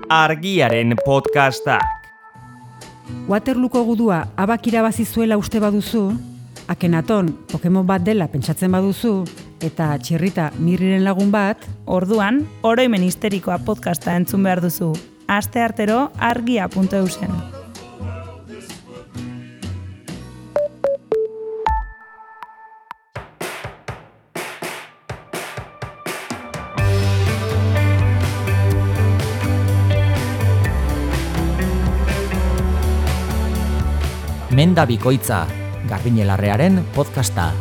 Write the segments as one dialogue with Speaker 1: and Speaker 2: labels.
Speaker 1: Argiaren podcastak.
Speaker 2: Waterlooko gudua abak irabazi zuela uste baduzu, Akenaton Pokemon bat dela pentsatzen baduzu, eta Txirrita Mirriren lagun bat,
Speaker 3: orduan, oroimen histerikoa podcasta entzun behar duzu. Asteartero argia.eusen.
Speaker 4: Menda bikoitza, Garbiñelarrearen podcasta.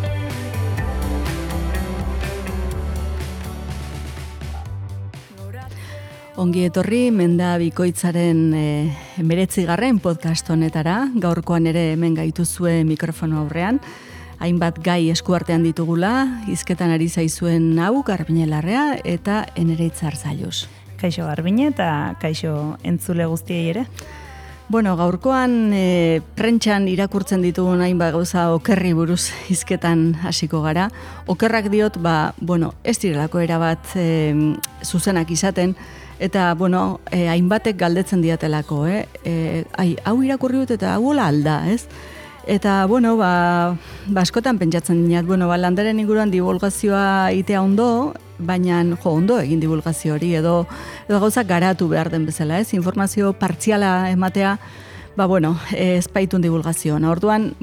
Speaker 5: Ongi etorri Menda bikoitzaren 19. podcast honetara, gaurkoan ere hemen gaituzue mikrofono aurrean. Hainbat gai eskuartean ditugula, hizketan ari zaizuen hau Garbiñelarrea eta Enereitz Arzallus.
Speaker 3: Kaixo Garbiñe eta kaixo entzule guztiei ere.
Speaker 5: Bueno, gaurkoan prentxan irakurtzen ditugun hainbat gauza okerri buruz hizketan hasiko gara. Okerrak diot, ez direlako erabat zuzenak izaten, eta, hainbatek galdetzen diatelako, hau irakurri dut eta hau hola alda, ez? Eta, askotan pentsatzen dinat, landaren inguruan divulgazioa itea ondo, baina ondo egin divulgazio hori, edo gauzak garatu behar den bezala, ez? Informazio partziala ematea, ez baitun divulgazioa. Orduan,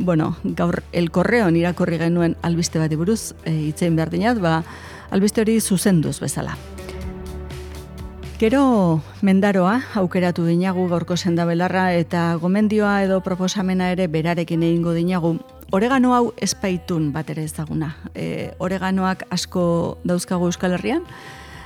Speaker 5: gaur El Correon irakurri genuen albiste bati buruz hitzein behar dinat, albiste hori zuzenduz bezala. Gero mendaroa aukeratu dinagu gaurko sendabelarra eta gomendioa edo proposamena ere berarekin egingo dinagu. Oregano hau espaitun bat ere ezaguna. Oreganoak asko dauzkagu Euskal Herrian,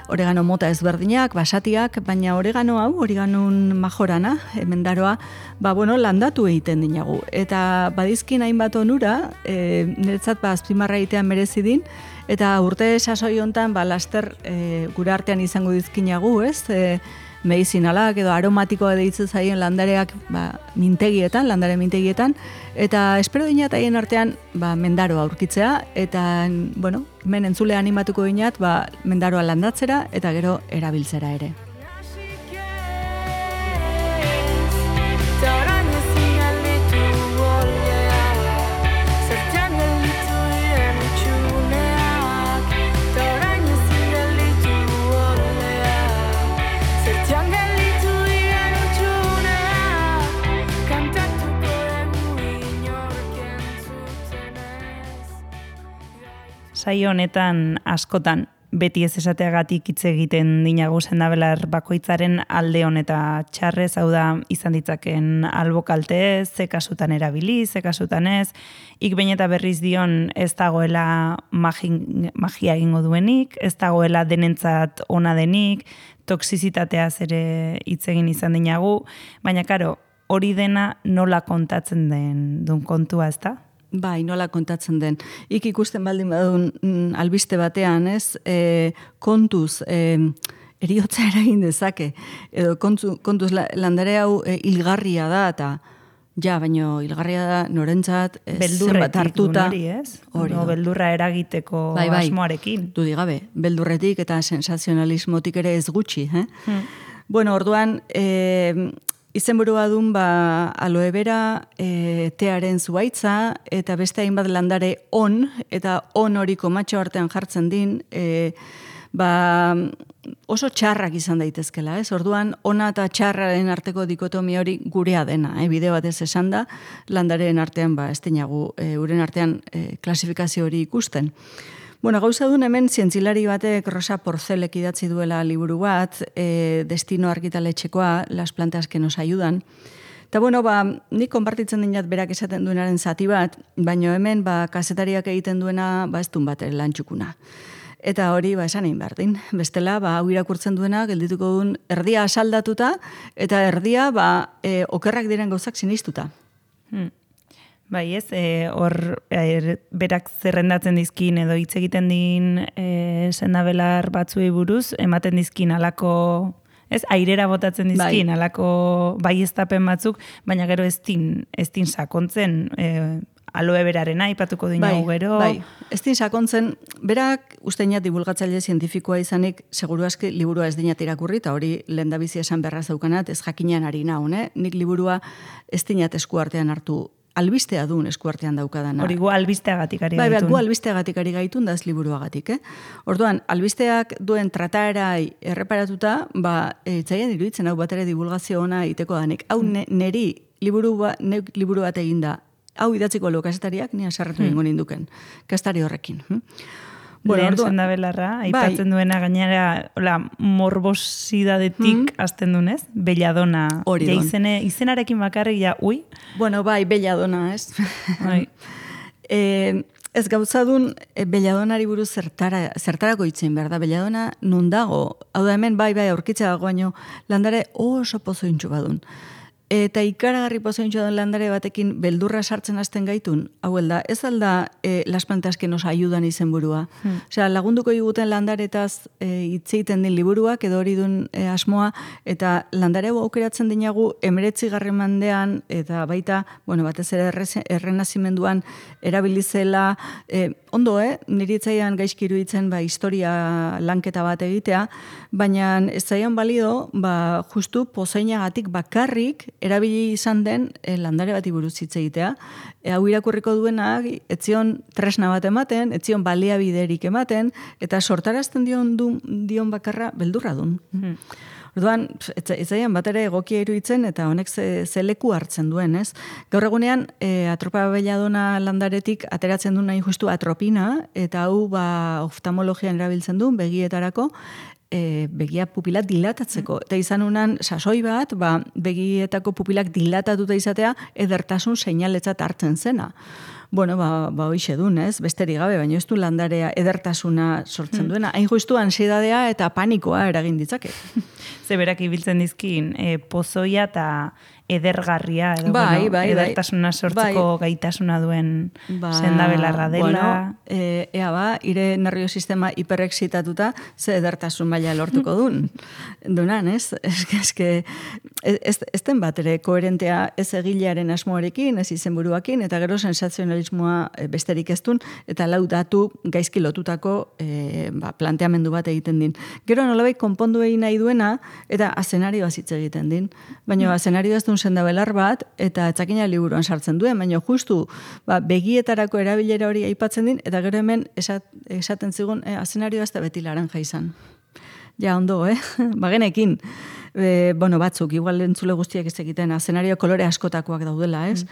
Speaker 5: oregano mota ezberdinak, basatiak, baina oregano hau, oreganun majorana, mendaroa, landatu egiten dinagu. Eta badizkin hainbat onura, niretzat azpimarra egitean merezi din, eta urte sasoi hontan laster gure artean izango dizkinagu, ez? Medizinalak edo aromatikoa deitzen zaien landareak landare mintegietan, eta espero dinat haien artean mendaroa aurkitzea, eta hemen entzule animatuko dinat mendaroa landatzera eta gero erabiltzera ere.
Speaker 3: Saio honetan askotan beti ez esateagatik hitz egiten dinagu sendabelar bakoitzaren alde honeta txarrez, hau da izan ditzaken albokalte, ze kasutan erabili, ze kasutan ez, behin eta berriz dion ez dagoela magia egingo duenik, ez dagoela denentzat ona denik, toxizitateaz ere hitz egin izan dinagu, baina karo, hori dena nola kontatzen duen kontua, ez da?
Speaker 5: Nola kontatzen den. Ikusten baldin badun albiste batean, ez? Kontuz, eriotza eragin dezake. Edo kontuz landare hau hilgarria da, eta baino hilgarria da norentzat zenbat hartuta.
Speaker 3: Beldurra eragiteko asmoarekin.
Speaker 5: Dudi gabe, beldurretik eta sensazionalismotik ere ez gutxi. Orduan, izenburua dun aloe vera, tearen zuaitza, eta beste hainbat landare eta hori komatxo artean jartzen din, oso txarrak izan daitezkela, ez? Orduan, ona eta txarraren arteko dikotomia hori gurea dena, bideo batez esan da, landaren artean, ez dinagu, uren artean klasifikazio hori ikusten. Gauza duen hemen zientzilari batek Rosa Porcelek idatzi duela liburu bat, Destino argitaletxekoa, Las plantas que nos ayudan. Eta nik konpartitzen dinat berak esaten duenaren zati bat, baina hemen kazetariak egiten duena ez duen bat lantxukuna. Eta hori esan egin behar din. Bestela, hau irakurtzen duena, geldituko duen erdia asaldatuta, eta erdia okerrak diren gauzak sinistuta.
Speaker 3: Bai ez, hor berak zerrendatzen dizkin edo hitz egiten din sendabelar batzuei buruz, ematen dizkin alako, airera botatzen dizkin alako baieztapen batzuk, baina gero ez din sakontzen aloe berarena aipatuko dinagu gero.
Speaker 5: Bai, ez din sakontzen, berak usteinat divulgatzaile zientifikoa izanik, seguru aski liburua ez dinat irakurri, eta hori lehendabizi esan berraz daukanat, ez jakinean ari naun, nik liburua ez dinat eskuartean hartu, albistea duen eskuartean daukadana.
Speaker 3: Hori gu albisteagatik ari gaitun.
Speaker 5: Bai, gu albisteagatik ari gaitun da ez liburuagatik, Orduan, albisteak duen trataerai erreparatuta, etzaien iruditzen hau bat ere divulgazio ona iteko danik. Hau neri liburu bat eginda, hau idatziko lo kazetariak, ni asarretu ingo ninduken, kastari horrekin.
Speaker 3: Lehen sendabelarra, aipatzen duena gainera morbosidadetik azten dunez, belladona. Izenarekin bakarrik ja, ui?
Speaker 5: Bueno, bai, belladona, ez? Bai. Ez gauzadun, belladonari buruz zertarako itzen behar da, belladona nun dago. Hau da hemen, bai, aurkitzea dago baino, landare oso pozointxu badun. Eta ikaragarri pozointxo den landare batekin beldurra sartzen hasten gaitun, hau da, ez alda las plantas que nos ayudan izenburua. Osea, lagunduko iguten landaretaz hitzeiten din liburuak, edo hori duen asmoa, eta landare aukeratzen dinagu 19. mendean, eta baita, batez ere errenazimenduan erabilizela, ondo, niri itzaian gaizki iruditzen historia lanketa bat egitea, baina ez zaian balido, justu pozainagatik bakarrik erabili izan den landare bati buruz hitz egitea. Hau irakurriko duenak, etzion tresna bat ematen, etzion baliabiderik ematen, eta sortarazten dion bakarra beldurra dun. Orduan, etzaian bat ere egokia iruditzen, eta honek ze leku hartzen duen, ez? Gaur egunean, atropa belladona landaretik ateratzen duen nahi justu atropina, eta hau oftalmologian erabiltzen duen begietarako, begia pupila dilatatzeko. Eta izan unan sasoi bat, begietako pupilak dilatatuta izatea edertasun seinaletzat hartzen zena. Hoixe dun, ez? Besterik gabe, baina ez du landarea edertasuna sortzen duena. Hain justu ansiedadea eta panikoa eragin ditzake.
Speaker 3: Zeberak ibiltzen dizkin, pozoia eta edergarria, edo edertasuna sortzeko gaitasuna duen sendabelarra dela. Ire nerviosistema hiperexitatuta ze edertasun maila lortuko dun. Dunan, ez? Ez den bat ere koherentea ez egilearen asmoarekin, ez izenburuakin, eta gero sensazionalismoa besterik ez dun, eta lau datu gaizki lotutako planteamendu bat egiten din. Gero nolabait konpondu egin nahi duena, eta azenarioa hitz egiten din. Baina azenarioa ez duen sendabelar bat, eta etzakina liburuan sartzen duen, baina justu begietarako erabilera hori aipatzen din, eta gero hemen esaten zigun azenarioa ez da beti laranja izan. Ja, ondo, Bagenekin, batzuk, igual entzule guztiak ez egiten, azenario kolore askotakoak daudela, ez?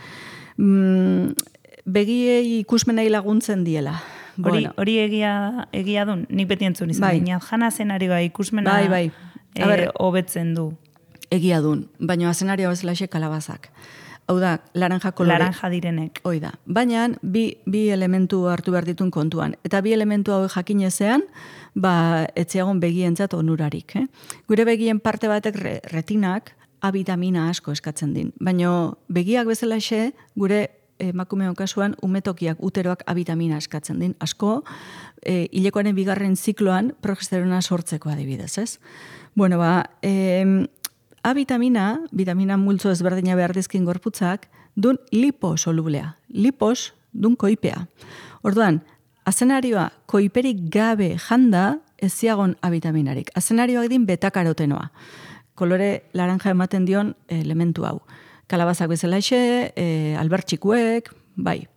Speaker 3: Begiei ikusmenei laguntzen diela. Hori egia dun, nik beti entzun izan. Baina, jana azenarioa ikusmena hobetzen du.
Speaker 5: Egia dun, baina azenarioa bezalaxe kalabazak. Hau da, laranja kolore.
Speaker 3: Laranja direnek.
Speaker 5: Hoi da. Baina, bi elementu hartu behar ditun kontuan. Eta bi elementu hau jakinezean, etziagon begientzat onurarik. Gure begien parte batek retinak A vitamina asko eskatzen din. Baina begiak bezalaxe, gure emakumeon kasuan, umetokiak, uteroak A vitamina eskatzen din. Asko, hilekoaren bigarren zikloan progesterona sortzeko adibidez, ez? A vitamina multzo ezberdina behar dizkin gorputzak, dun liposolublea. Lipos, dun koipea. Orduan, azenarioa koiperik gabe janda ez ziagon A vitaminarik. Azenarioak din betakarotenoa. Kolore laranja ematen dion elementu hau. Kalabazak bezalaxe, albertxikuek, bai.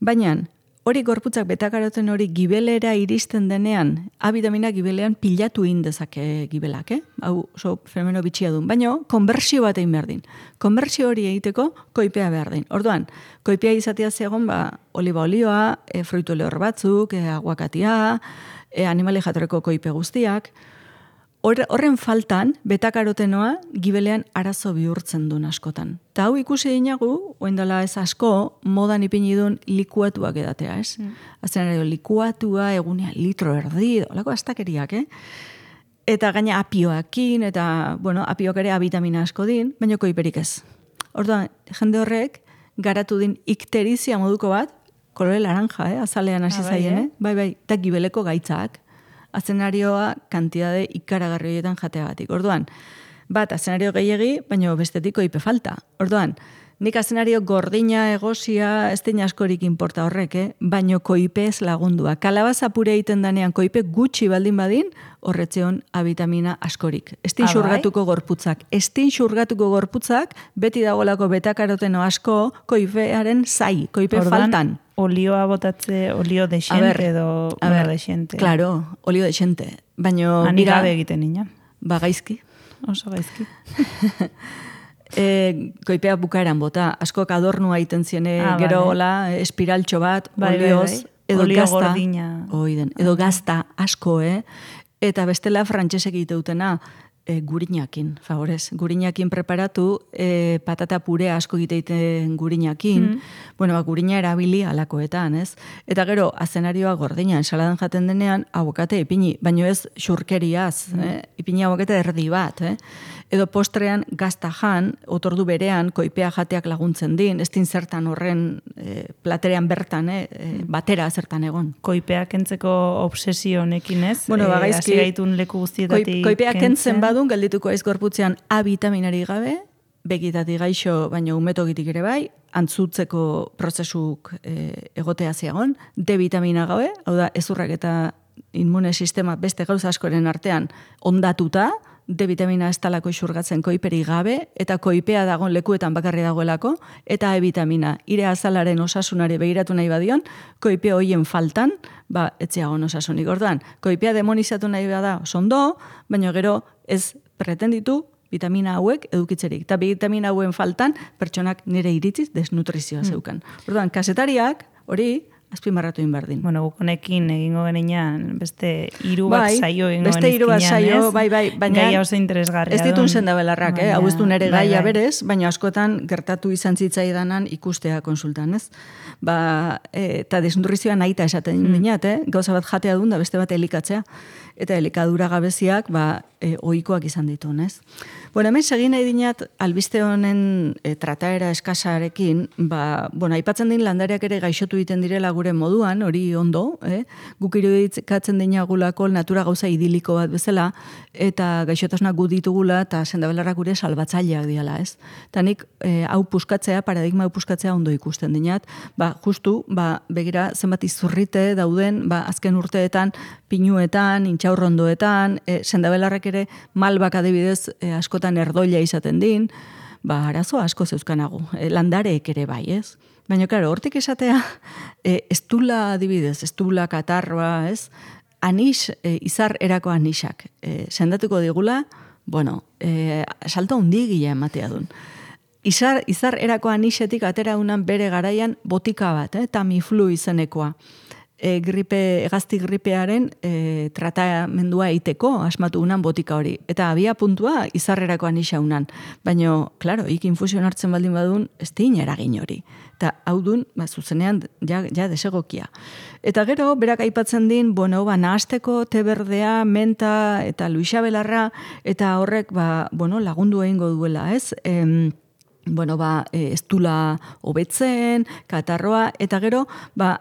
Speaker 5: Baina, hori gorputzak betakaroten hori gibelera iristen denean, A vitamina gibelean pilatu indezake gibelak, Hau oso fenomeno bitxia duen. Baina, konbertsio bat egin behar din. Konbertsio hori egiteko koipea behar din. Orduan, koipea izatea zegoen, oliba olioa, fruitu lehor batzuk, aguakatia, animali jatorreko koipe guztiak. Horren faltan, betakarotenoa gibelean arazo bihurtzen duen askotan. Ta hau ikusi dinagu, oindala ez asko, modan ipini duen likuatuak edatea, ez? Azenario, likuatua, egunean litro erdi, olako astakeriak, Eta gaina apioakin, eta, apioak ere A vitamina asko din, baina koiperik ez. Orduan, jende horrek, garatu din ikterizia moduko bat, kolore laranja, azalean hasi zaien, bai, eta gibeleko gaitzak. Azenarioa kantidade ikaragarri horietan jateagatik. Orduan, bat azenario gehiegi, baina bestetik koipe falta. Orduan, nik azenario gordina egosia ez den askorik inporta horrek, baino koipez lagundua. Kalabaza pure egiten danean koipe gutxi baldin badin, horretzeon abitamina askorik. Estin xurgatuko gorputzak. Estin xurgatuko gorputzak, beti dagolako betakaroteno asko, koipearen zai, koipe faltan.
Speaker 3: Olioa botatze, olio desente edo desente.
Speaker 5: Claro, olio desente. Baina,
Speaker 3: Ani gabe egiten nina.
Speaker 5: Ba, gaizki.
Speaker 3: Oso gaizki.
Speaker 5: Koipea bukaeran bota, askok adornua egiten ziene, gero hola, espiraltxo bat, olioz, edo
Speaker 3: olio
Speaker 5: gazta.
Speaker 3: Gordina.
Speaker 5: Edo gazta asko, Eta bestela frantsesek egiteutena, gurinakin, favorez. Gurinakin preparatu, patata pure asko egiteiten gurinakin. Bueno, gurina erabili alakoetan, ez? Eta gero, azenarioa gordina, ensaladan jaten denean, abokate ipini, baino ez xurkeriaz, ipini abokate erdi bat, Edo postrean gazta jan, otordu berean, koipea jateak laguntzen din, ez din zertan horren platerean bertan, batera zertan egon.
Speaker 3: Koipea kentzeko obsesio honekin ez?
Speaker 5: Bueno,
Speaker 3: Hasi gaitun leku guztietatik
Speaker 5: koipea kentzen badun, geldituko aiz gorputzean A vitaminari gabe, begitatik gaixo, baina umetogitik ere bai, antzutzeko prozesuk egotea ziagon, D vitamina gabe, hau da, ezurrak eta inmune sistema beste gauza askoren artean ondatuta, D vitamina ez talako isurgatzen koiperi gabe, eta koipea dagoen lekuetan bakarri dagoelako, eta E vitamina, ire azalaren osasunari begiratu nahi badion, koipea hoien faltan, etziagon osasunik. Orduan, koipea demonizatu nahi bada osondo, baina gero ez pretenditu vitamina hauek edukitzerik. Eta vitamina hauen faltan, pertsonak nire iritziz desnutrizioa zeukan. Orduan, kasetariak, hori, azpimarratu inberdin.
Speaker 3: Bueno, guk honekin egingo genean beste 3 bat saio egingo
Speaker 5: beste 3 bat saio, bai, baina
Speaker 3: gaia oso interesgarria.
Speaker 5: Ez ditun sendabelarrak, hau ez du nere gaia berez, baina askotan gertatu izan zitzaidanan ikustea konsultan, ez? Eta desnutrizioa nahita esaten dinat, gauza bat jatea duen da beste bat elikatzea, eta elikadura gabeziak ohikoak izan ditun, ez? Bueno, hemen segin nahi dinat albiste honen trataera eskasarekin, aipatzen din landareak ere gaixotu egiten direla gure moduan, hori ondo, guk irudikatzen dinagulako natura gauza idiliko bat bezala, eta gaixotasunak gu ditugula, eta sendabelarrak gure salbatzaileak diala, ez? Eta nik hau puskatzea, paradigma hau puskatzea ondo ikusten dinat, justu, begira, zenbat izurrite dauden, azken urteetan, pinuetan, intxaurrondoetan, sendabelarrak ere malbak adibidez askotan erdoila izaten din, arazo asko zeuzkanagu, landareek ere bai, ez? Baina, klaro, hortik esatea, estula adibidez, estula, katarroa, ez? Anix, izar erako anixak, sendatuko digula, salto hundigila ematea duen. Izar erako anixetik atera unan bere garaian botika bat, Tamiflu izenekoa. Hegazti gripearen tratamendua eiteko asmatu unan botika hori. Eta abia puntua izarrerako anisa unan. Baina, klaro, infusion hartzen baldin badun, ez tein eragin hori. Eta hau dun, zuzenean, ja desegokia. Eta gero, berak aipatzen din, nahasteko te berdea, menta eta luixabelarra, eta horrek, lagundu egingo duela, ez? Estula hobetzen, katarroa, eta gero,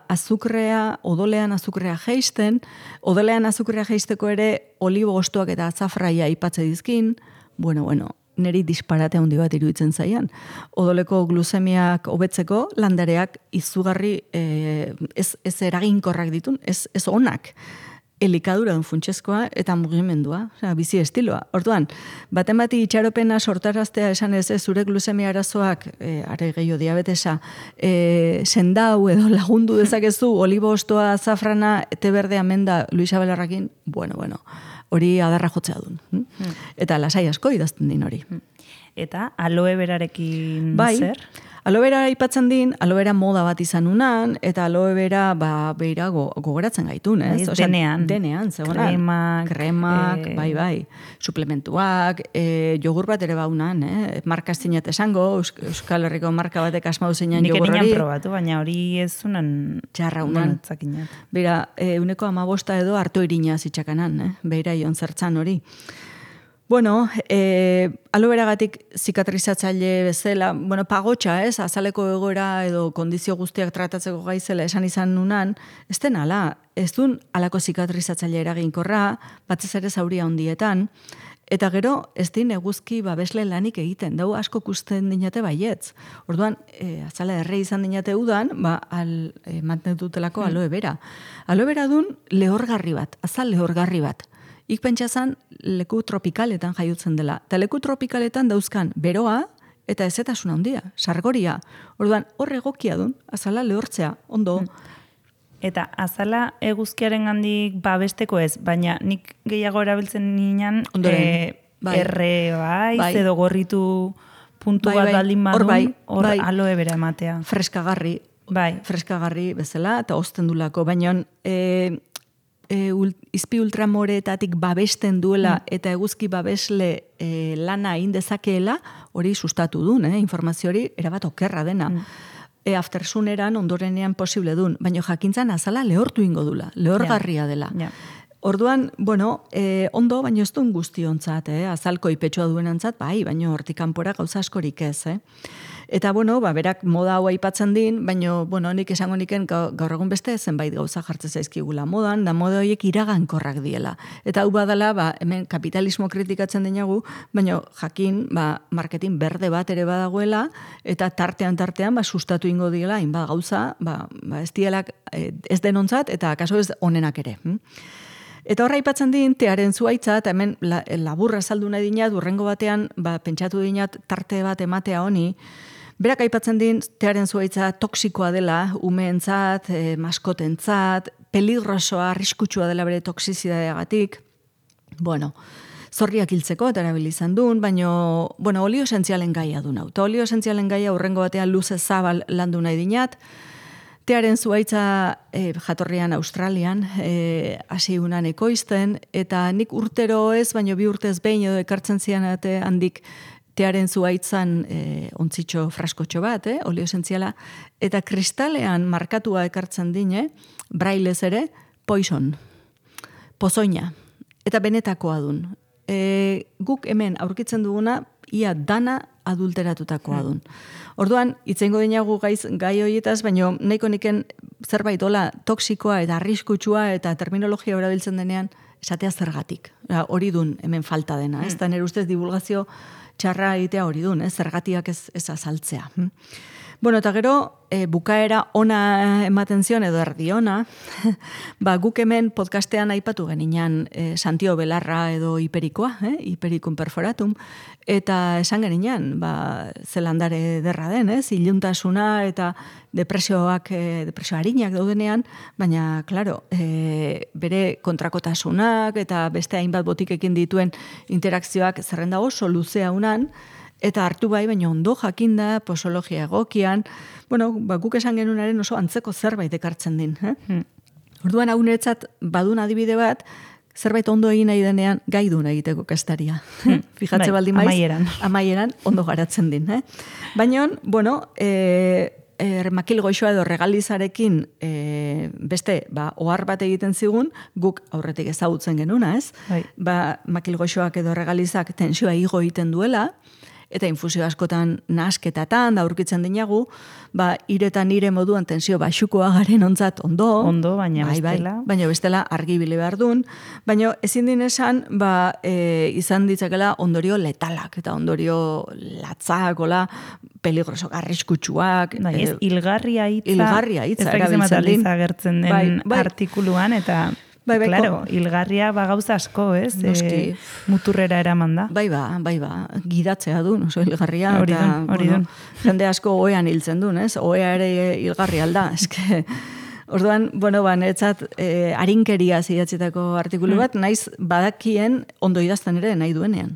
Speaker 5: azukrea, odolean azukrea jeisten, odolean azukrea jeisteko ere olibo ostoak eta azafraia aipatze dizkin, neri disparate handi bat iruditzen zaian. Odoleko gluzemiak hobetzeko landareak izugarri ez eraginkorrak ditun, ez onak. Elikadura funtsezkoa eta mugimendua, bizi estiloa. Orduan, baten bati itxaropena sortaraztea esan ez zure glusemia arazoak, are gehiago diabetesa, sendau edo lagundu dezakezu, olibo ostoa, azafrana, te berdea menda, luixabelarrakin, hori adarra jotzea duen. Eta lasai asko idazten din hori.
Speaker 3: Eta aloe berarekin zer?
Speaker 5: Aloe vera aipatzen din, aloe vera moda bat izan unan, eta aloe vera beira gogoratzen gaitun, ez? Denean, zegoenan. Kremak, bai. Suplementuak, jogur bat ere baunan, marka zinat esango, Euskal Herriko marka batek asmau zeinan jogur hori.
Speaker 3: Nik erinan probatu, baina hori ez unan
Speaker 5: txarra unan. Beira, 1,5 edo hartu irina zitxakanan, beira ion zertzan hori. Aloe beragatik zikatrizatzaile bezala, pagotxa, ez, azaleko egoera edo kondizio guztiak tratatzeko gaizela esan izan nunan, ez den ala, ez dun alako zikatrizatzaile eraginkorra, batzez ere zauria hondietan, Eta gero, ez din eguzki babesle lanik egiten, dau asko kusten dinate baietz. Orduan, azala erre izan dinate udan, mantenutelako aloe vera. Aloe vera dun lehorgarri bat, azal lehorgarri bat. Ik pentsazan leku tropikaletan jaiutzen dela. Eta leku tropikaletan dauzkan beroa eta ezetasun handia, sargoria. Orduan, hor egokia dun, azala lehortzea, ondo.
Speaker 3: Eta azala eguzkiaren gandik babesteko ez, baina nik gehiago erabiltzen ninan erre bai, edo gorritu puntu bat baldin badun, hor aloe bera ematea.
Speaker 5: Freskagarri, freskagarri bezala, eta osten dulako, baina izpi ultramoreetatik babesten duela eta eguzki babesle lana indezakeela, hori sustatu duen, informazio hori erabat okerra dena. Aftersuneran ondorenean posible duen, baina jakintzan azala lehortu ingo dula, lehorgarria dela. Orduan, ondo, baina ez duen guztiontzat, azalko ipetsua duenantzat, bai, baina hortik kanpora gauza askorik ez, Eta, berak moda hau aipatzen din, baina, nik esango niken gaur egun beste zenbait gauza jartzen zaizkigula modan, da moda horiek iragankorrak diela. Eta hau badala, hemen kapitalismo kritikatzen dinagu, baina jakin, marketing berde bat ere badagoela, eta tartean, sustatu ingo diela, hainbat gauza, ez dielak ez denontzat, eta kaso ez onenak ere. Eta horra aipatzen din, tearen zuaitza, eta hemen laburra saldu nahi dinat, urrengo batean, pentsatu dinat tarte bat ematea honi, berak aipatzen din, tearen zuaitza toksikoa dela, umeentzat, maskotentzat, peligrosoa, arriskutsua dela bere toksizidadeagatik. Zorriak hiltzeko, eta erabilizan duen, baina, olio esentzialen gaia duen hau. Eta olio esentzialen gaia urrengo batean luze zabal landu nahi dinat, tearen zuaitza jatorrian Australian, hasi unan ekoizten, eta nik urtero ez, baina 2 urtez behin edo ekartzen zian handik tearen zuaitzan ontzitxo fraskotxo bat, olio esentziala, eta kristalean markatua ekartzen dine, brailez ere, poison, pozoina, eta benetakoa dun. Guk hemen aurkitzen duguna, ia dana adulteratutakoa dun. Orduan, itzengo dinagu gai horietaz, baina nahiko niken zerbait hola toksikoa eta arriskutsua eta terminologia erabiltzen denean esatea zergatik. Hori dun hemen falta dena. Ez da nire ustez divulgazio txarra egitea hori dun, zergatiak ez azaltzea. Eta gero, bukaera ona ematen zion edo erdi ona, guk hemen podcastean aipatu geninan Santio Belarra edo Hiperikoa, Hipericum perforatum, eta esan geninan, zelandare derra den, iluntasuna eta depresio harinak daudenean, baina, klaro, bere kontrakotasunak eta beste hainbat botikekin dituen interakzioak zerrenda oso luzea unan, eta hartu baina ondo jakinda, posologia egokian, guk esan genunaren oso antzeko zerbait ekartzen din. Orduan hau niretzat badun adibide bat, zerbait ondo egin nahi denean gai duen egiteko kastaria. Fijatze baldin maiz, amaieran ondo garatzen din. Baina, makil goixoa edo regalizarekin beste, ohar bat egiten zigun, guk aurretik ezagutzen genuna, ez? Makil goixoak edo regalizak tensioa igo egiten duela, eta infusio askotan nasketatan, da aurkitzen dinagu, iretan ire moduan tensio baxukoa garen ontzat ondo.
Speaker 3: Ondo, baina bestela.
Speaker 5: Baina bestela argibile behar duen. Baina ezin din esan, izan ditzakela ondorio letalak, eta ondorio latzak, peligrosok, arriskutsuak.
Speaker 3: Ez, hilgarria hitza.
Speaker 5: Hilgarria hitza,
Speaker 3: erabiltzen din. Agertzen den artikuluan, eta... Claro, hilgarria gauza asko, ez?
Speaker 5: Noski.
Speaker 3: Muturrera eraman da.
Speaker 5: Bai ba, gidatzea du, oso hilgarria.
Speaker 3: Hori dun.
Speaker 5: Jende asko oean hiltzen du, ez? Oea ere hilgarri alda, eske... Orduan, netzat harinkeria zidatzetako artikulu bat, naiz badakien ondo idazten ere nahi duenean.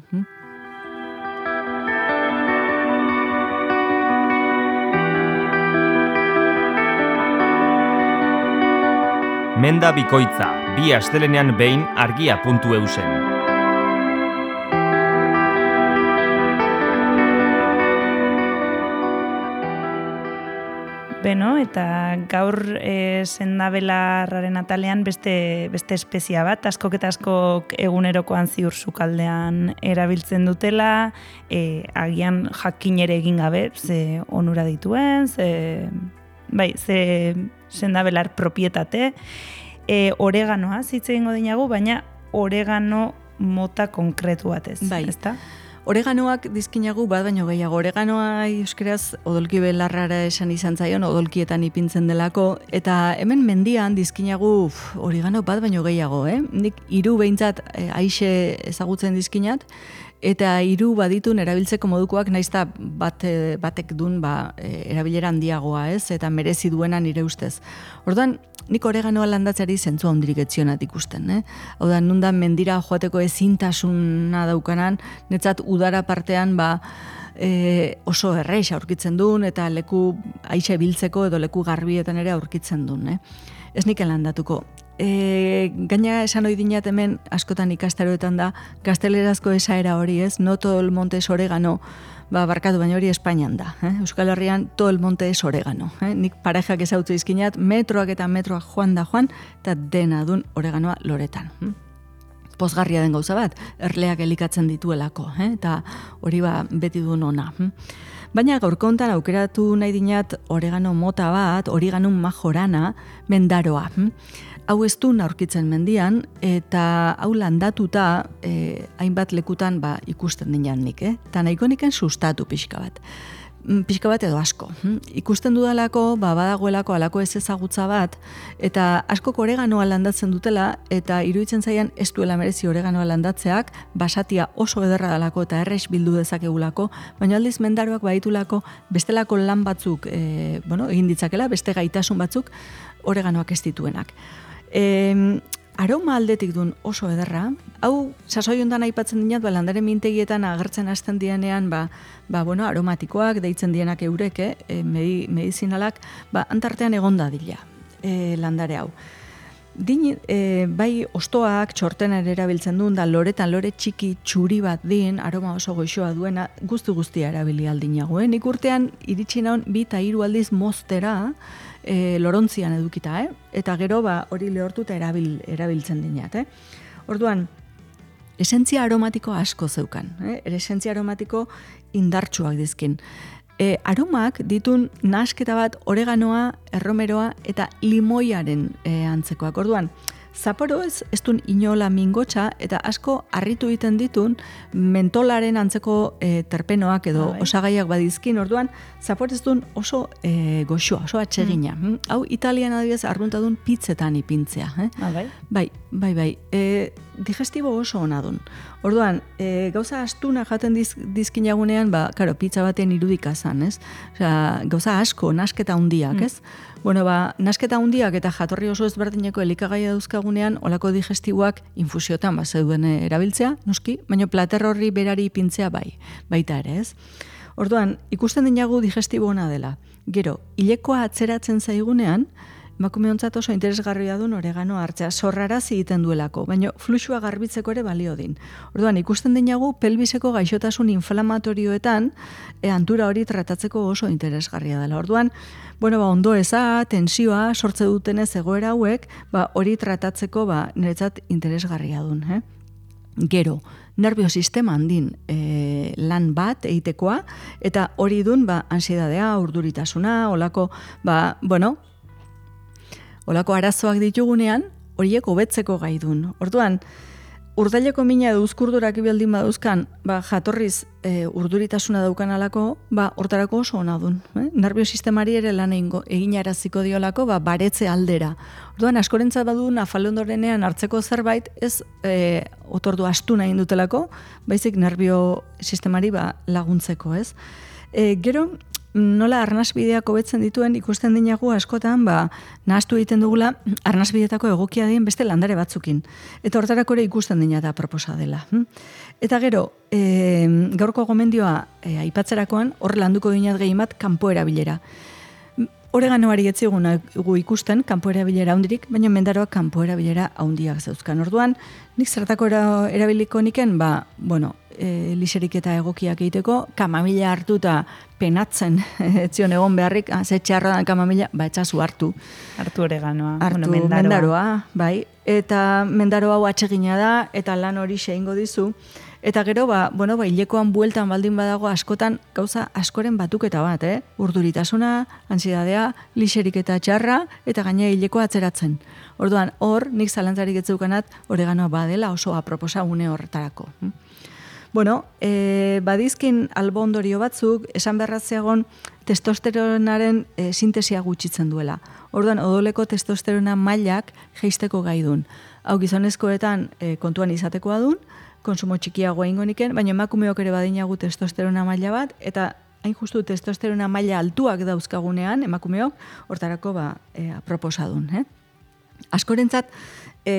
Speaker 1: Menda bikoitza, 2 astelenean behin argia.eusen.
Speaker 3: Eta gaur sendabelarraren atalean beste espezia bat, askok eta askok egunerokoan ziur sukaldean erabiltzen dutela, agian jakin ere egin gabe, ze onura dituen, ze sendabelar propietate, oreganoa zitze egingo dinagu, baina oregano mota konkretu batez,
Speaker 5: Bai.
Speaker 3: ezta?
Speaker 5: Oreganoak dizkinagu bat baino gehiago. Oreganoa euskeraz odolki belarrara esan izan zaion, odolkietan ipintzen delako, eta hemen mendian dizkinagu oregano bat baino gehiago, Nik 3 behintzat aixe ezagutzen dizkinat, eta 3 baditun erabiltzeko modukoak naizta batek dun erabilera handiagoa, eta merezi duena nire ustez. Orduan, nik oreganoa landatzeari zentzua hondirik etzionat ikusten. Hau da, nundan mendira joateko ezintasuna daukanan, netzat udara partean oso errex aurkitzen duen, eta leku aixe biltzeko edo leku garbietan ere aurkitzen duen. Ez niken landatuko. Gaina esan ohi dinat hemen askotan ikastaroetan da gaztelerazko esaera hori, no todo el monte es oregano, barkatu, baina hori Espainian da. Euskal Herrian todo el monte es oregano. Nik parejak ezautze izkinat, metroak eta metroak joan, eta dena dun oreganoa loretan. Pozgarria den gauza bat, erleak elikatzen dituelako, eta hori beti duen ona. Baina gaurko hontan aukeratu nahi dinat oregano mota bat, Origanum majorana, mendaroa. Hau ez du aurkitzen mendian, eta hau landatuta hainbat lekutan ikusten dinan nik, eta nahiko niken sustatu pixka bat edo asko. Ikusten dudalako, badagoelako alako ez ezagutza bat, eta askok oreganoa landatzen dutela, eta iruditzen zaian ez duela merezi oreganoa landatzeak, basatia oso ederra dalako eta errex bildu dezakegulako, baina aldiz mendaroak baditulako bestelako lan batzuk, egin ditzakela, beste gaitasun batzuk oreganoak ez dituenak. Aroma aldetik duen oso ederra, hau sasoi hondan aipatzen dinat, landare mintegietan agertzen hasten dienean, aromatikoak deitzen dienak eurek, medizinalak, antartean egonda dila landare hau. Bai ostoak txortenan erabiltzen duen, da loretan lore txiki txuri bat din, aroma oso goixoa duena, guztia erabili aldinago. Nik urtean iritsi naun 2 eta 3 aldiz moztera, lorontzian edukita, eta gero hori lehortuta erabiltzen dinat. Orduan, esentzia aromatiko asko zeukan, esentzia aromatiko indartsuak dizkin. Aromak ditun nahasketa bat oreganoa, erromeroa eta limoiaren antzekoak. Orduan, zaporo ez dun inola mingotxa eta asko harritu egiten ditun mentolaren antzeko terpenoak edo osagaiak badizkin. Orduan, zapor ez dun oso goxoa, oso atsegina. Hau Italian adibidez arruntadun pizzetan ipintzea. Bai. Digestibo oso ona dun. Orduan, gauza astuna jaten dizkinagunean, pizza baten irudika zan, ez? Gauza asko, nasketa hundiak, ez? Nasketa hundiak eta jatorri oso ezberdineko elikagaia dauzkagunean, olako digestiboak infusiotan zeuden erabiltzea, noski, baina plater horri berari ipintzea baita ere, ez? Orduan, ikusten dinagu digestibo ona dela. Gero, hilekoa atzeratzen zaigunean, emakume ontzat oso interesgarria duen oregano hartzea, zorrarazi egiten duelako, baina fluxua garbitzeko ere balio din. Orduan, ikusten dinagu pelbiseko gaixotasun inflamatorioetan antura hori tratatzeko oso interesgarria dela. Orduan, ondo eza, tensioa, sortze dutenez egoera hauek, hori tratatzeko niretzat interesgarria duen. Gero, nerviosistema handin lan bat egitekoa, eta hori dun ansiedadea, urduritasuna, olako arazoak ditugunean, horiek hobetzeko gai dun. Orduan, urdaileko mina edo uzkurdurak ibildin baduzkan, jatorriz urduritasuna daukan alako, hortarako oso ona dun. Nerviosistemari ere lan eginaraziko diolako, baretze aldera. Orduan, askorentzat badu nafalondorenean hartzeko zerbait, ez otordu astuna egin dutelako, baizik nerviosistemari laguntzeko, ez? Gero, nola arnasbideak hobetzen dituen ikusten dinagu askotan, nahaztu egiten dugula arnasbideetako egokia dien beste landare batzukin. Eta hortarako ere ikusten dina da proposa dela. Eta gero, gaurko gomendioa aipatzerakoan, hor landuko dinat gehiamat kanpo erabilera. Oreganoari etzigun ikusten, kanpo erabilera handirik, baina mendaroak kanpo erabilera handiak zeuzkan. Orduan, nik zertako erabiliko niken, liserik eta egokiak egiteko, kamamila hartuta penatzen, etzion egon beharrik, ze txarra da kamamila, etxazu hartu.
Speaker 3: Hartu oreganoa.
Speaker 5: Hartu mendaroa, bai. Eta mendaro hau atsegina da, eta lan hori xeingo dizu. Eta gero, hilekoan bueltan baldin badago askotan gauza askoren batuketa bat, urduritasuna, ansiedadea, lixerik eta txarra, eta gaina hilekoa atzeratzen. Orduan, hor, nik zalantzarik etzeukanat, oreganoa badela oso aproposa une horretarako. Badizkin albo ondorio batzuk, esan beharratzeagon testosteronaren sintesia gutxitzen duela. Orduan, odoleko testosterona mailak jeisteko gai dun. Hau gizonezkoetan kontuan izatekoa dun, konsumo txikiagoa ingoniken, baina emakumeok ere badinagu testosterona maila bat, eta hain justu testosterona maila altuak dauzkagunean, emakumeok, hortarako proposadun. Askorentzat,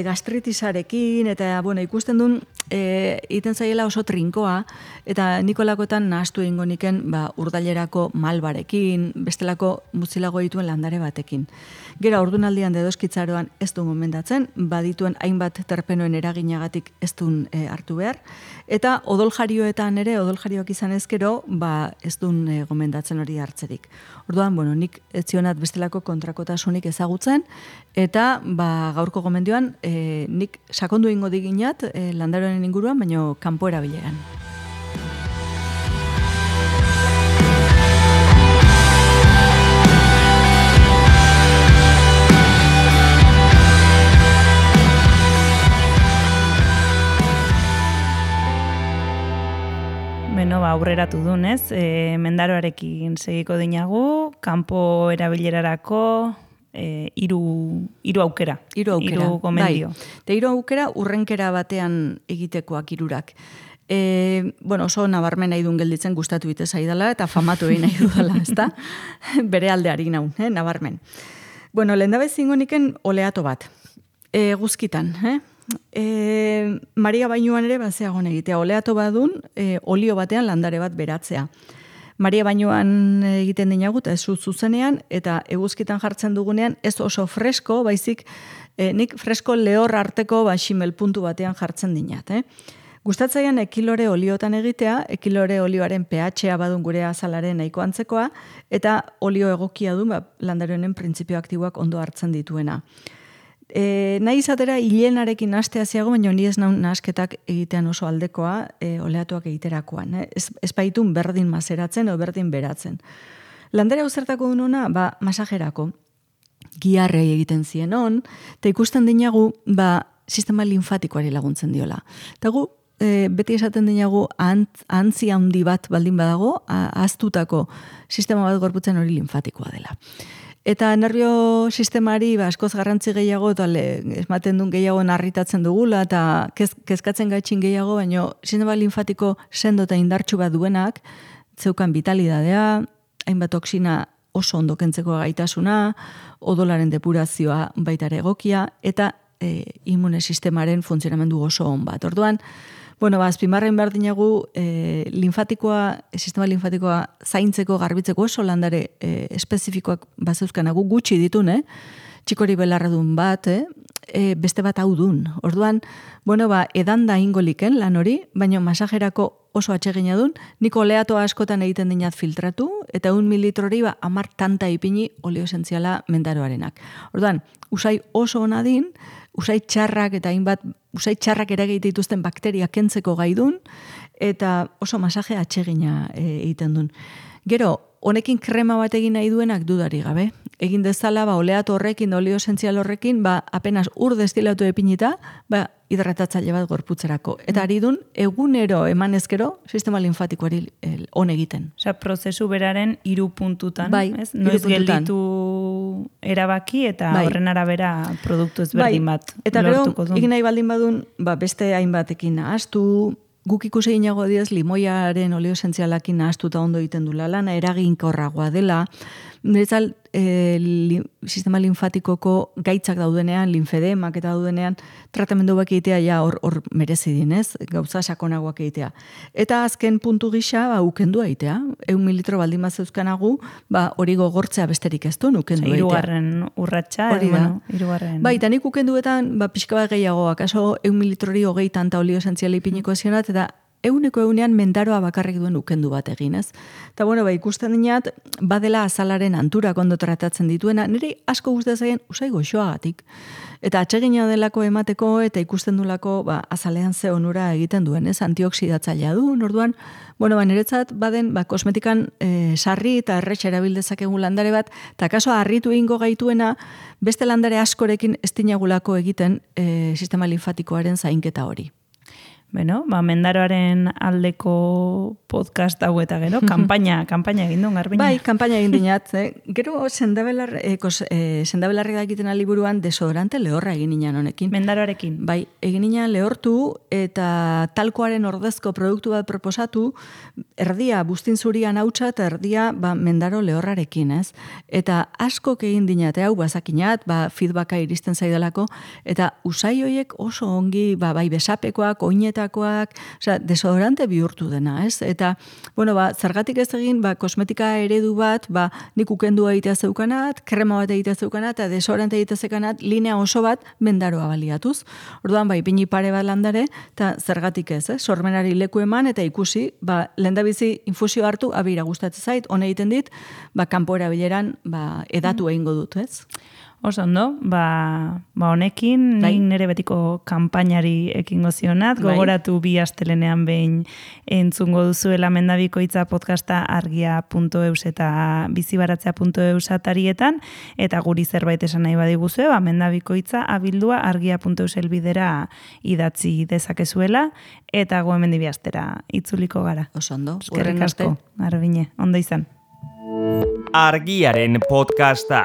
Speaker 5: gastritisarekin, eta ikusten duen, iten zaiela oso trinkoa, eta nikolakoetan nahastu egingo niken urdailerako malbarekin, bestelako mutzilago dituen landare batekin. Gero, ordunaldian dedoskitzaroan ez du gomendatzen, badituen hainbat terpenoen eraginagatik ez duen hartu behar, eta odoljarioetan ere, odoljarioak izan ezkero, ez duen gomendatzen hori hartzerik. Orduan, nik etzionat bestelako kontrakotasunik ezagutzen, eta gaurko gomendioan nik sakondu ingo diginat landaroen inguruan, baina kanpo erabilean.
Speaker 3: Aurreratu dunez, mendaroarekin segiko dinagu, kanpo erabilerarako, hiru aukera. Hiru gomendio.
Speaker 5: Hiru aukera urrenkera batean egitekoak hirurak. Oso nabarmen nahi duen gelditzen gustatu bite zaidala eta famatu egin nahi dudala, ezta? Bere aldeari naun, nabarmen. Lehendabe zingoniken oleato bat. Guzkitan, Maria Bainuan ere bazeagon egitea. Oleato badun, olio batean landare bat beratzea. Maria Bainuan egiten dinagu, eta ez zuzenean, eta eguzkitan jartzen dugunean, ez oso fresko, baizik, nik fresko lehor arteko ximel puntu batean jartzen dinat. Gustatzaian ekilore oliotan egitea, ekilore olioaren pH-a badun gure azalaren nahiko antzekoa, eta olio egokia du landare honen printzipio aktiboak ondo hartzen dituena. Nahi izatera hilenarekin nahastea ziago, baina ni ez nahasketak egitean oso aldekoa oleatuak egiterakoan. Ez baitun berdin mazeratzen o berdin beratzen. Landare hau zertako dunona, masajerako. Giarrei egiten zien on, eta ikusten dinagu, sistema linfatikoari laguntzen diola. Eta gu, beti esaten dinagu, antzi handi bat baldin badago, ahaztutako sistema bat gorputzen hori linfatikoa dela. Eta nervio sistemari askoz garrantzi gehiago, eta ematen duen gehiago narritatzen dugula, eta kezkatzen gaitxin gehiago, baina sistema linfatiko sendo eta indartsu bat duenak, zeukan vitalidadea, hainbat toksina oso ondo kentzeko gaitasuna, odolaren depurazioa baitare egokia, eta immune sistemaren funtzionamendu oso on bat. Orduan, azpimarren behar dinagu sistema linfatikoa zaintzeko, garbitzeko oso landare espezifikoak bazeuzkanagu gutxi ditun, txikori belarradun bat, beste bat hau dun. Orduan, edan da ingoliken lan hori, baina masajerako oso atsegina dun, niko oleato askotan egiten dinat filtratu, eta 1 mililitrori 10 tanta ipini olio esentziala mendaroarenak. Orduan, usai oso ona din, usai txarrak eta hainbat usai txarrak eragite dituzten bakteria kentzeko gaidun, eta oso masaje atsegina egiten dun. Gero, honekin krema bat egin nahi duenak dudari gabe. Egin dezala, oleato horrekin, olio esentzial horrekin, apenas ur destilatu epinita, hidratatzaile bat gorputzerako. Eta ari dun, egunero emanezkero, sistema linfatikoari on egiten.
Speaker 3: Osa, prozesu beraren 3 puntutan, ez?
Speaker 5: Noiz
Speaker 3: gelditu erabaki eta horren arabera produktu ezberdin bat lortuko du.
Speaker 5: Eta gero, egin nahi baldin badun, beste hainbatekin nahaztu, guk ikusi ginago diez, limoiaren olio esentzialakin nahaztuta ondo egiten du lana, eraginkorragoa dela, niretzal sistema linfatikoko gaitzak daudenean, linfedemak eta daudenean, tratamendu bak egitea ja hor merezi dinez, gauza sakonagoak egitea. Eta azken puntu gisa, ukendua egitea. 1 mililitro baldin bat zeuzkanagu, hori gogortzea besterik ez du, ukendu egitea.
Speaker 3: Hirugarren urratsa, hirugarren.
Speaker 5: Eta nik ukenduetan, pixka bat gehiago, akaso 1 mililitrori 20 tanta olio esentziala ipiniko zionat, eta 100% mendaroa bakarrik duen ukendu bat egin, ez? Eta bueno, ikusten dinat, badela azalaren anturak ondo tratatzen dituena, niri asko gustatzen zaien usai goxoagatik. Eta atsegina delako emateko eta ikusten dulako azalean ze onura egiten duen, ez? Antioxidatzailea du, orduan, niretzat baden kosmetikan sarri eta erretxe erabildezakegu landare bat, eta kaso harritu egingo gaituena, beste landare askorekin ez dinagulako egiten sistema linfatikoaren zainketa hori.
Speaker 3: Bueno, mendaroaren aldeko podcast hau eta gero, kanpaina egin duen, Garbiñe.
Speaker 5: Bai, kanpaina egin dinat. Gero sendabelarri egiten liburuan desodorante lehorra egin nian honekin.
Speaker 3: Mendaroarekin.
Speaker 5: Bai, egin nian lehortu eta talkoaren ordezko produktu bat proposatu, erdia buztin zurian hautsa eta erdia mendaro lehorrarekin, ez? Eta askok egin dinat, hau bazakinat, feedbacka iristen zaidalako, eta usai hoiek oso ongi, bai besapekoak, oinetakoak, desodorante bihurtu dena, ez? Eta, zergatik ez egin, kosmetika eredu bat, nik ukendua egitea zeukanat, krema bat egitea zeukanat, eta desodorante egitea zeukanat, linea oso bat mendaroa baliatuz. Orduan, ipini pare bat landare, eta zergatik ez, sormenari leku eman, eta ikusi, lehendabizi infusio hartu, abira gustatzen zait, hone egiten dit, kanpo erabileran, edatu egingo dut, ez?
Speaker 3: Oso ondo, honekin nik nire betiko kanpainari ekingo zionat, gogoratu bi astelenean behin entzungo duzuela Mendabikoitza podcasta argia.eus eta bizibaratzea.eus atarietan, eta guri zerbait esan nahi badiguzue, Mendabikoitza abildua argia.eus elbidera idatzi dezakezuela, eta gu hemen bi astera itzuliko gara.
Speaker 5: Oso ondo,
Speaker 3: eskerrik asko, Garbiñe, ondo izan.
Speaker 1: Argiaren podcasta.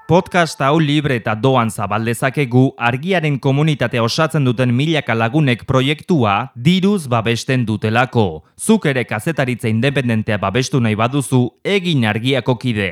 Speaker 1: Podcast hau libre eta doan zabaldezakegu Argiaren komunitatea osatzen duten milaka lagunek proiektua diruz babesten dutelako. Zuk ere kazetaritza independentea babestu nahi baduzu, egin Argiako kide.